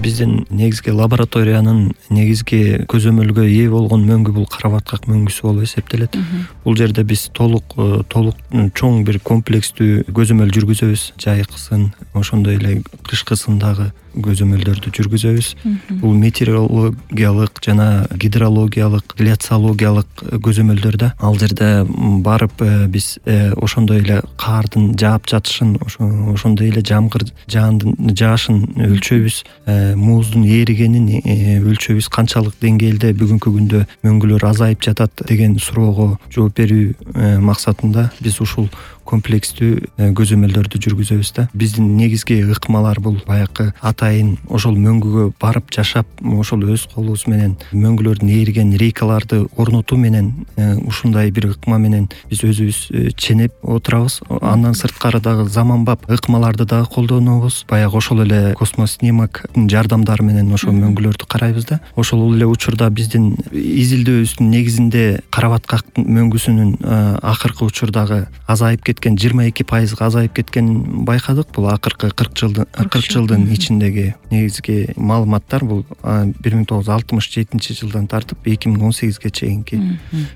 биздин негизги лабораториянын негизги көзөмөлгө ээ болгон мөңгү бул карабаткак мөңгүсү болуп эсептелет. Бул жерде биз толук чоң бир комплекстүү көзөмөл жүргүзөбүз. Жайкысын, ошондой эле кышкысын дагы көзөмөлдөрдү жүргүзөбүз. Бул метеорологиялык жана гидрологиялык, гляциологиялык көзөмөлдөр да. Ал жерде барып биз ошондой эле кардын жаап жатышын, ошондой эле жамгыр жаашын өлчөйбүз, муздун эригенин өлчөйбүз. Канчалык деңгээлде бүгүнкү күндө мөңгүлөр азайып жатат деген суроого жооп берүү максатында биз ушул комплекстүү көзөмөлдөрдү жүргүзөбүз да. Биздин негизги ыкмалар бул баягы атайын ошол мөңгүгө барып жашап, ошол өз колубуз менен мөңгүлөрдүн эриген рейкаларды орнотуу менен ушундай бир ыкма менен биз өзүбүз ченеп отурабыз. Андан сырткары дагы заманбап ыкмаларды дагы колдонобуз. Баягы ошол эле космоснимоктун жардамдары менен ошол мөңгүлөрдү карайбыз да. Ошол эле учурда биздин изилдөөбүздүн негизинде карабаткак мөңгүсүнүн акыркы учурдагы азайып кеткен 22% азайып кеткенин байкадык. Бул акыркы 40 жылдын ичиндеги негизги маалыматтар. Бул 1967 жылдан тартып 2018ге чейинки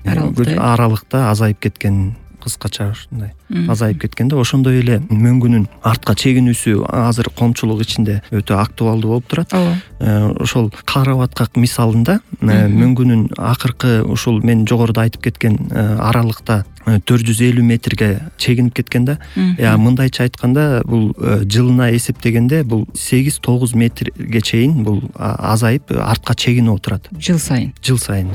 аралыкта азайып кеткен, кыскача ушундай азайып кеткенде, ошондой эле мөңгүнүн артка чегинүүсү азыр коомчулук ичинде өтө актуалдуу болуп турат. Ошол карабаткак мисалында мөңгүнүн акыркы ушул мен жогоруда айтып кеткен аралыкта 450 метрге чегинип кеткен да. Мындайча айтканда, бул жылына эсептегенде бул 8-9 метрге чейин бул азайып артка чегинип отурат. Жыл сайын.